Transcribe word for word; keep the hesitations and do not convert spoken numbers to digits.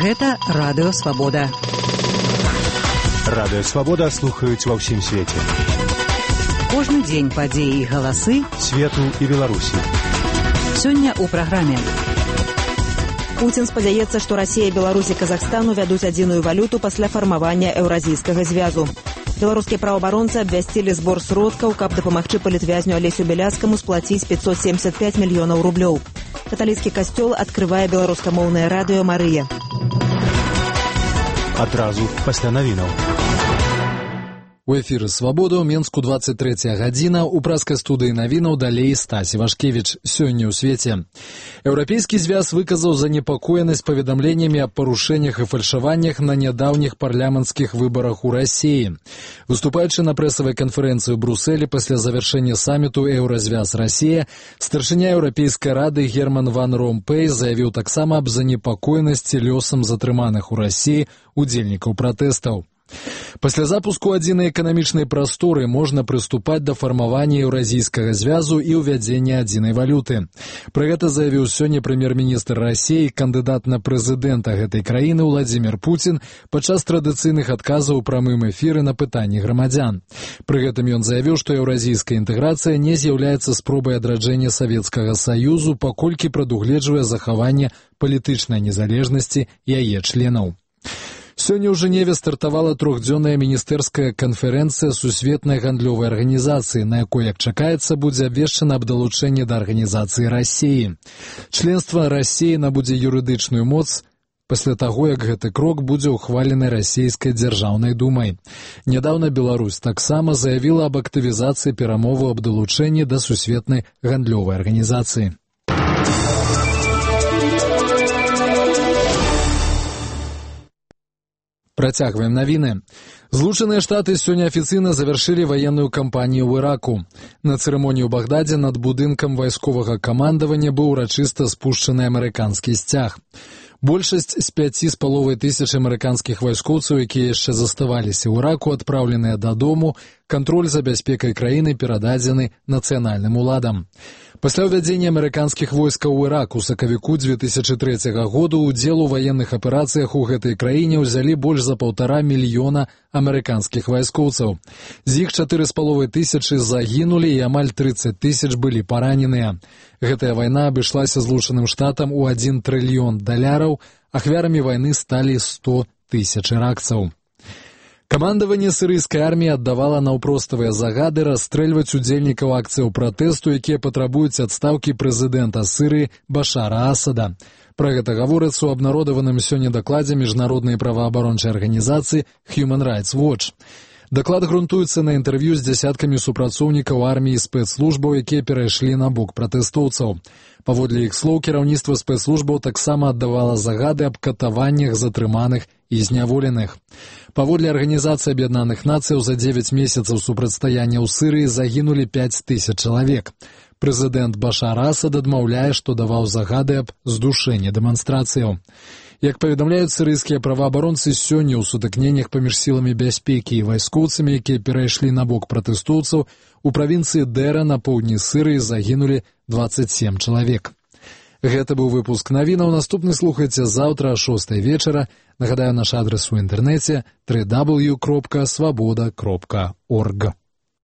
Гэта Радыё Свабода. Радыё Свабода слухаюць ва ўсім свеце. Кожны дзень падзеі і галасы свету і Беларусі. Сёння ў праграме. Пуцін спадзяецца, што Расія, Беларусь і Казахстан увядуць адзіную валюту пасля фармавання еўразійскага звязу. Беларускія праваабаронцы абвясцілі збор сродкаў, каб дапамагчы палітвязню Алесю Беляцкаму сплаціць пятьсот семьдесят пять мільёнаў рублёў. Каталіцкі касцёл адкрывае беларускамоўнае радыё «Марыя». Адразу пасля навінаў. У эфіры «Свабода» ў Менску двадцать третья гадзіна, у праскай студыі навінаў далей Стась Івашкевіч. Сёння ў свеце. Еўрапейскі звяз выказаў занепакоенасць паведамленнямі аб парушэннях і фальшаваннях на нядаўніх парламенцкіх выбарах у Расіі. Выступаючы на прэсавай канферэнцыі ў Брусэлі пасля завяршэння саміту «Еўразвяз Расія», старшыня Еўрапейскай рады Герман ван Ромпэй заявіў таксама аб занепакоенасці лёсам затрыманых у Расіі удзельнікаў пратэстаў. Пасля запуску адзінай эканамічнай прасторы можна прыступаць да фармавання еўразійскага звязу і ўвядзення адзінай валюты. Пра гэта заявіў сёння прэм'ер-міністр Расіі, кандыдат на прэзідэнта гэтай краіны Владзімір Пуцін падчас традыцыйных адказаў у прамым эфіры на пытанні грамадзян. Пры гэтым ён заявіў, што еўразійская інтэграцыя не з'яўляецца спробай адраджэння Савецкага Саюзу, паколькі прадугледжвае захаванне палітычнай незалежнасці яе членаў. Сёння ў Жэневе стартавала трохдзённая міністэрская канферэнцыя Сусветнай гандлёвай арганізацыі, на якой, як чакаецца, будзе абвешчана аб далучэнні да арганізацыі Расіі. Членства Расіі набудзе юрыдычную моц пасля таго, як гэты крок будзе ўхвалены расійскай дзяржаўнай думай. Нядаўна Беларусь таксама заявіла аб актывізацыі перамоваў аб далучэнні да Сусветнай гандлёвай арганізацыі. Працягваем навіны. Злучаныя Штаты сёння афіцыйна завяршылі ваенную кампанію ў Іраку. На цырымоніі ў Багдадзе над будынкам вайсковага камандавання быў урачыста спушчаны амерыканскі сцяг. Большасць з пяці з паловай тысяч амерыканскіх вайскоўцаў, якія яшчэ заставаліся ў Іраку, адпраўленыя дадому, кантроль за бяспекай краіны перададзены нацыянальным уладам. Пасля ўвядзення амерыканскіх войскаў у Ірак у сакавіку дзве тысячы трэцяга году удзел у ваенных аперацыях у гэтай краіне ўзялі больш за паўтара мільёна амерыканскіх вайскоўцаў. З іх чатыры з паловай тысячы загінулі і амаль трыццаць тысяч былі параненыя. Гэтая вайна абышлася Злучаным Штатам у адзін трыльён даляраў, ахвярамі вайны сталі сто тысяч іракцаў. Камандаванне сірыйскай арміі аддавала наўпроставыя загады расстрэльваць удзельнікаў акцыяў пратэсту, якія патрабуюць адстаўкі прэзідэнта Сірыі Башара Асада. Пра гэта гаворыцца ў абнародаваным сёння дакладзе міжнароднай праваабарончай арганізацыі Human Rights Watch. Даклад грунтуецца на інтэрв'ю з дзясяткамі супрацоўнікаў арміі і спецслужбаў, якія перайшлі на бок пратэстоўцаў. Паводле іх слоў, кіраўніцтва спецслужбаў таксама аддавала загады аб катаваннях затрыманых і зняволеных. Паводле Арганізацыі Аб'яднаных Нацыяў за дзевяць месяцаў супрацьстаяння ў Сірыі загінулі пяць тысяч чалавек. Прэзідэнт Башар Асад адмаўляе, што даваў загады аб здушэнні дэманстрацыяў. Як паведамляюць сірыйскія праваабаронцы, сёння ў сутыкненнях паміж сіламі бяспекі і вайскоўцамі, якія перайшлі на бок пратэстоўцаў, у правінцыі Дэра на поўдні Сірыі загінулі дваццаць сем чалавек. Гэта быў выпуск навінаў. Наступны слухайце заўтра о шостай вечара. Нагадаю, наш адрес у інтэрнэце дабл ю дабл ю дабл ю кропка свабода кропка орг.